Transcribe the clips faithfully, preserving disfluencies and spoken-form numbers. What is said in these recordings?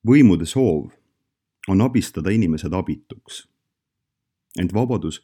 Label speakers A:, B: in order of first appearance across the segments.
A: Võimude soov on abistada inimesed abituks. Ent vabadus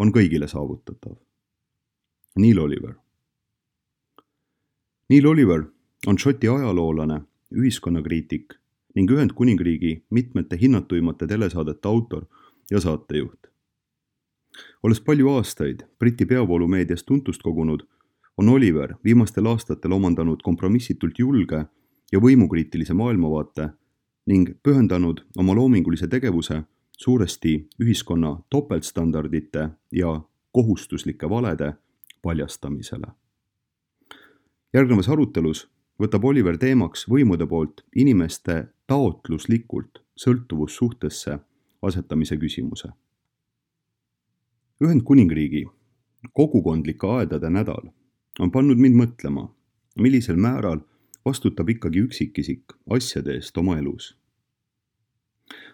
A: on kõigile saavutatav. Neil Oliver. Neil Oliver on Šoti ajaloolane, ühiskonnakriitik ning Ühendkuningriigi mitmete hinnatuimate telesaadete autor ja saatejuht. Olles palju aastaid Briti peavoolumeedias tuntust kogunud, on Oliver viimastel aastatel omandanud kompromissitult julge ja võimukriitilise maailmavaate ning pühendanud oma loomingulise tegevuse suuresti ühiskonna topeltstandardite ja kohustuslike valede paljastamisele. Järgnevas arutelus võtab Oliver teemaks võimude poolt inimeste taotluslikult sõltuvussuhtesse asetamise küsimuse. Ühendkuningriigi kogukondlike aedade nädal on pannud mind mõtlema, millisel määral vastutab ikkagi üksikisik asjade eest oma elus.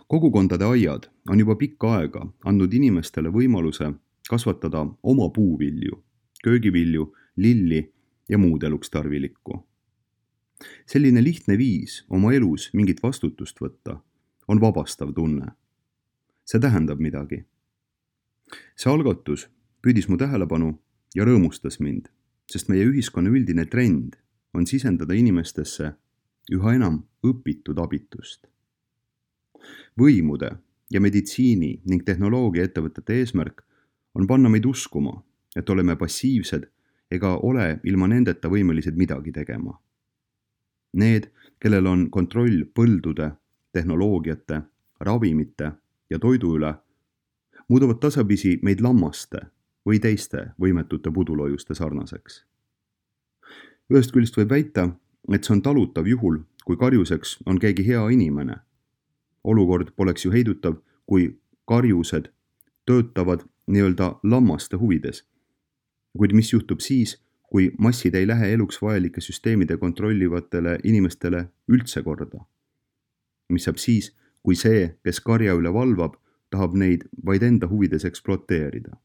A: Kogukondade aiad on juba pikka aega andnud inimestele võimaluse kasvatada oma puuvilju, köögivilju, lilli ja muud eluks tarvilikku. Selline lihtne viis oma elus mingit vastutust võtta on vabastav tunne. See tähendab midagi. See algatus püüdis mu tähelepanu ja rõõmustas mind, sest meie ühiskonna üldine trend on sisendada inimestesse üha enam õpitud abitust. Võimude ja meditsiini ning tehnoloogia ettevõtete eesmärk on panna meid uskuma, et oleme passiivsed ega ole ilma nendeta võimelised midagi tegema. Need, kellel on kontroll põldude, tehnoloogiate, ravimite ja toidu üle, muudavad tasapisi meid lammaste või teiste võimetute pudulojuste sarnaseks. Ühest küljest võib väita, et see on talutav juhul, kui karjuseks on keegi hea inimene. Olukord poleks ju heidutav, kui karjused töötavad nii-öelda lammaste huvides. Kuid mis juhtub siis, kui massid ei lähe eluks vajalike süsteemide kontrollivatele inimestele üldse korda? Mis saab siis, kui see, kes karja üle valvab, tahab neid vaid enda huvides eksploateerida?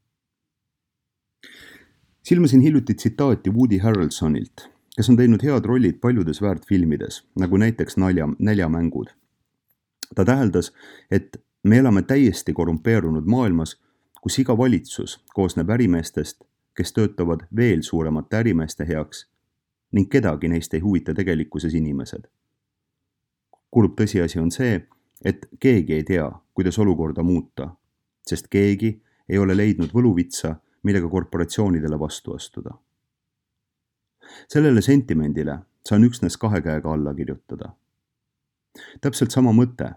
A: Silmasin hiljuti tsitaati Woody Harrelsonilt, kes on teinud head rollid paljudes väärtfilmides, nagu näiteks nalja, näljamängud. Ta täheldas, et me elame täiesti korrumpeerunud maailmas, kus iga valitsus koosneb ärimeestest, kes töötavad veel suuremate ärimeeste heaks ning kedagi neist ei huvita tegelikkuses inimesed. Kurb tõsiasi on see, et keegi ei tea, kuidas olukorda muuta, sest keegi ei ole leidnud võluvitsa, millega korporatsioonidele vastu astuda. Sellele sentimendile saan üksnes kahe käega alla kirjutada. Täpselt sama mõte,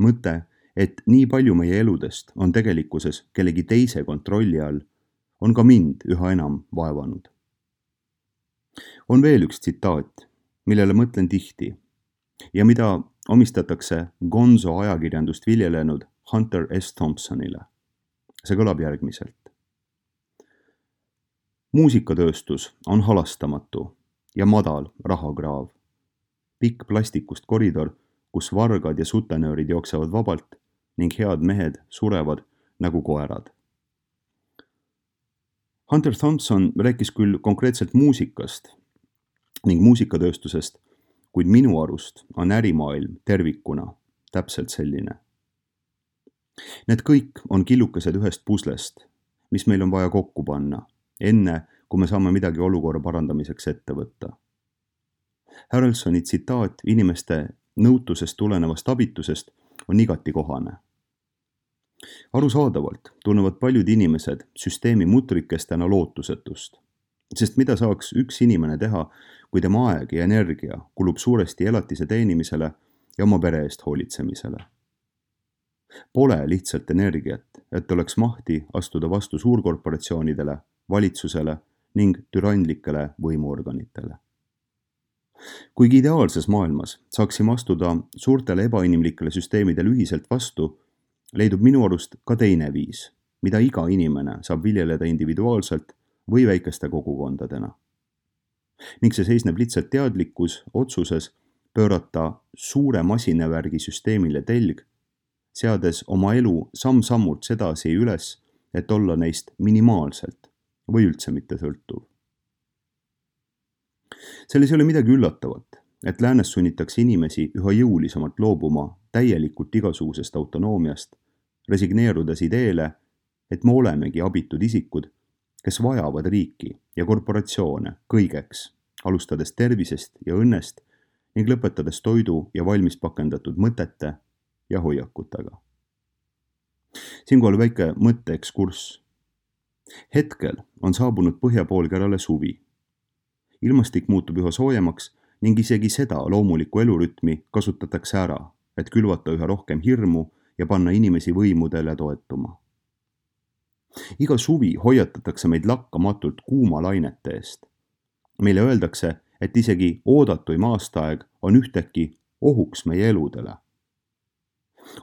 A: mõte, et nii palju meie eludest on tegelikkuses kellegi teise kontrolli all, on ka mind üha enam vaevanud. On veel üks tsitaat, millele mõtlen tihti ja mida omistatakse Gonzo ajakirjandust viljelenud Hunter S. Thompsonile. See kõlab järgmiselt. Muusikatööstus on halastamatu ja madal rahakraav. Pikk plastikust koridor, kus vargad ja sutenöörid jooksevad vabalt ning head mehed surevad nagu koerad. Hunter Thompson rääkis küll konkreetselt muusikast ning muusikatööstusest, kuid minu arust on ärimaailm tervikuna täpselt selline. Need kõik on killukesed ühest puslest, mis meil on vaja kokku panna, enne kui me saame midagi olukorra parandamiseks ette võtta. Harrelsoni tsitaat inimeste nõutusest tulenevast abitusest on igati kohane. Arusaadavalt tunnevad paljud inimesed süsteemi mutrikestena lootusetust, sest mida saaks üks inimene teha, kui tema aeg ja energia kulub suuresti elatise teenimisele ja oma pere eest hoolitsemisele. Pole lihtsalt energiat, et oleks mahti astuda vastu suurkorporatsioonidele, valitsusele ning türanlikele võimuorganitele. Kuigi ideaalses maailmas saaksime astuda suurtele ebainimlikele süsteemidele ühiselt vastu, leidub minu arust ka teine viis, mida iga inimene saab viljeleda individuaalselt või väikeste kogukondadena. Ning see seisneb lihtsalt teadlikkus otsuses pöörata suure masinavärgi süsteemile telg, seades oma elu samm-sammult sedasi üles, et olla neist minimaalselt või üldse mitte sõltuv. Selles ei ole midagi üllatavat, et läänes sunnitakse inimesi üha jõulisemalt loobuma täielikult igasugusest autonoomiast, resigneerudes ideele, et me olemegi abitud isikud, kes vajavad riiki ja korporatsioone kõigeks, alustades tervisest ja õnnest ning lõpetades toidu ja valmis pakendatud mõtete ja hoiakutega. Siinkohal väike mõtteekskurss. Hetkel on saabunud põhjapoolkerale suvi. Ilmastik muutub üha soojemaks ning isegi seda loomulikku elurütmi kasutatakse ära, et külvata üha rohkem hirmu ja panna inimesi võimudele toetuma. Iga suvi hoiatatakse meid lakkamatult kuuma lainete eest. Meile öeldakse, et isegi oodatuim aastaaeg on ühtäkki ohuks meie eludele.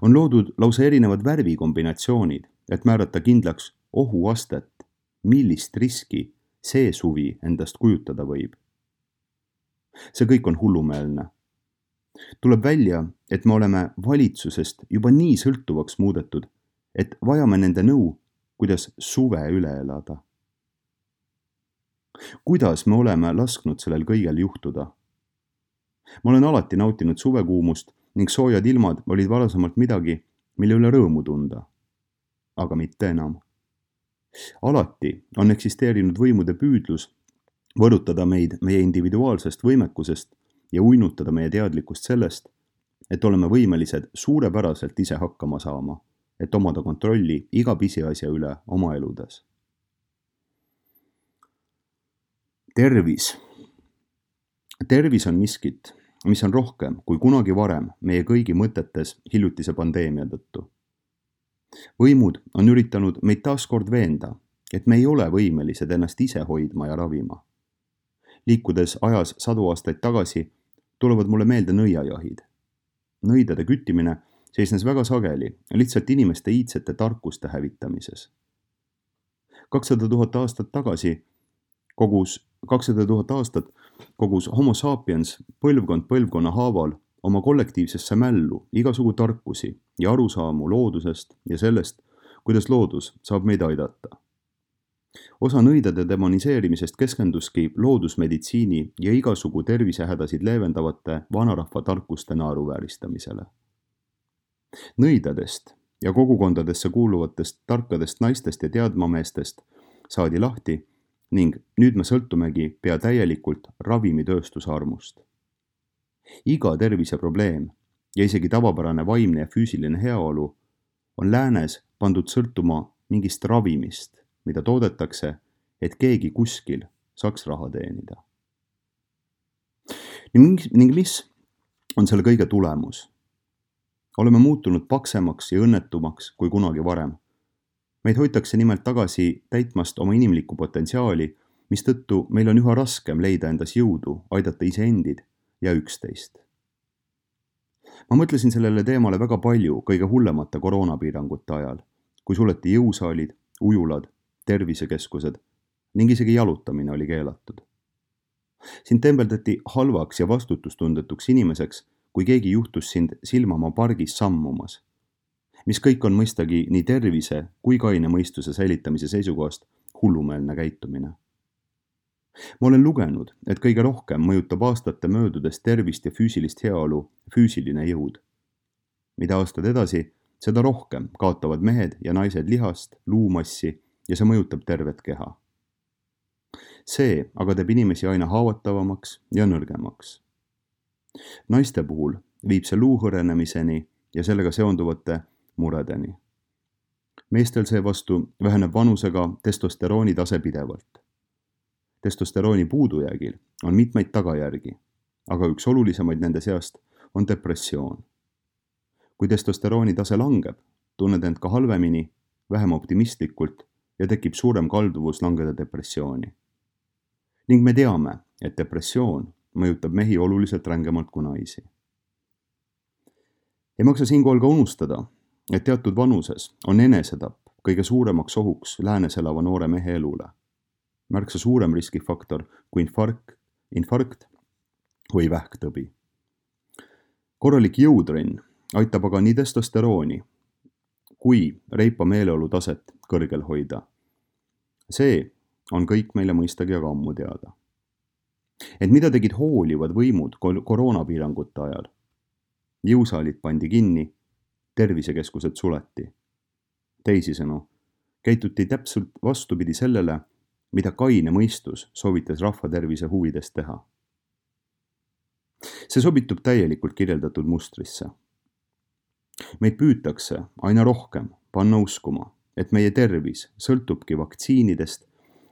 A: On loodud lausa erinevad värvikombinatsioonid, et määrata kindlaks ohuastet, millist riski see suvi endast kujutada võib. See kõik on hullumeelne. Tuleb välja, et me oleme valitsusest juba nii sõltuvaks muudetud, et vajame nende nõu, kuidas suve üle elada. Kuidas me oleme lasknud sellel kõigel juhtuda? Ma olen alati nautinud suvekuumust ning soojad ilmad olid varasemalt midagi, mille üle rõõmu tunda. Aga mitte enam. Alati on eksisteerinud võimude püüdlus võrutada meid meie individuaalsest võimekusest ja uinutada meie teadlikkust sellest, et oleme võimelised suurepäraselt ise hakkama saama, et omada kontrolli iga pisiasja üle oma eludes. Tervis. Tervis on miskit, mis on rohkem kui kunagi varem meie kõigi mõtetes hiljutise pandeemia tõttu. Võimud on üritanud meid taaskord veenda, et me ei ole võimelised ennast ise hoidma ja ravima. Liikudes ajas sadu aastaid tagasi, tulevad mulle meelde nõiajahid. Nõidade küttimine seisnes väga sageli lihtsalt inimeste iidsete tarkuste hävitamises. kakssada tuhat aastat tagasi kogus, kakssada tuhat aastat kogus homo sapiens põlvkond põlvkonna haaval oma kollektiivsesse mällu igasugu tarkusi ja arusaamu loodusest ja sellest, kuidas loodus saab meid aidata. Osa nõidade demoniseerimisest keskenduski loodusmeditsiini ja igasugu tervisehädasid leevendavate vanarahva tarkuste naeruvääristamisele. Nõidadest ja kogukondadesse kuuluvatest tarkadest naistest ja teadmameestest saadi lahti ning nüüd me sõltumegi pea täielikult ravimitööstuse armust. Iga terviseprobleem ja isegi tavapärane vaimne ja füüsiline heaolu on läänes pandud sõltuma mingist ravimist, mida toodetakse, et keegi kuskil saaks raha teenida. Ning mis on selle kõige tulemus? Oleme muutunud paksemaks ja õnnetumaks kui kunagi varem. Meid hoitakse nimelt tagasi täitmast oma inimlikku potentsiaali, mistõttu meil on üha raskem leida endas jõudu, aidata iseendid ja üksteist. Ma mõtlesin sellele teemale väga palju kõige hullemate koroonapiirangute ajal, kui suleti jõusaalid, ujulad, tervisekeskused ning isegi jalutamine oli keelatud. Sind tembeldati halvaks ja vastutustundetuks inimeseks, kui keegi juhtus sind silmama pargis sammumas, mis kõik on mõistagi nii tervise kui kaine mõistuse säilitamise seisukohast hullumeelne käitumine. Ma olen lugenud, et kõige rohkem mõjutab aastate möödudes tervist ja füüsilist heaolu füüsiline jõud. Mida aastad edasi, seda rohkem kaotavad mehed ja naised lihast, luumassi ja see mõjutab tervet keha. See aga teeb inimesi aina haavatavamaks ja nõrgemaks. Naiste puhul viib see luu hõrenemiseni ja sellega seonduvate muredeni. Meestel seevastu väheneb vanusega testosterooni tase pidevalt. Testosterooni puudujäägil on mitmeid tagajärgi, aga üks olulisemaid nende seast on depressioon. Kui testosterooni tase langeb, tunned end ka halvemini, vähem optimistlikult ja tekib suurem kalduvus langeda depressiooni. Ning me teame, et depressioon mõjutab mehi oluliselt rängemalt kui naisi. Ei maksa siinkohal ka unustada, et teatud vanuses on enesetapp kõige suuremaks ohuks läänes elava noore mehe elule. Märksa suurem riskifaktor kui infarkt, infarkt või vähktõbi. Korralik jõutrenn aitab aga nii testosterooni kui reipa meeleolu taset kõrgel hoida. See on kõik meile mõistagi aga ammu teada. Et mida tegid hoolivad võimud koroonapiirangute ajal? Jõusaalid pandi kinni, tervisekeskused suleti. Teisisõnu, käituti täpselt vastupidi sellele, mida kaine mõistus soovitas rahva tervise huvides teha. See sobitub täielikult kirjeldatud mustrisse. Meid püütakse aina rohkem panna uskuma, et meie tervis sõltubki vaktsiinidest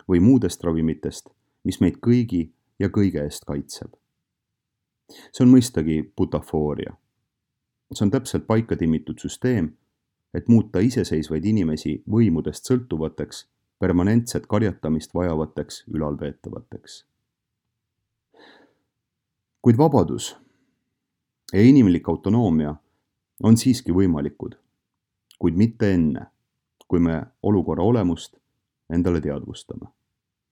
A: või muudest ravimitest, mis meid kõigi ja kõige eest kaitseb. See on mõistagi butafooria. See on täpselt paika timmitud süsteem, et muuta iseseisvaid inimesi võimudest sõltuvateks, permanentset karjatamist vajavateks ülalpeetavateks. Kuid vabadus ja inimlik autonoomia on siiski võimalikud, kuid mitte enne, kui me olukorra olemust endale teadvustame.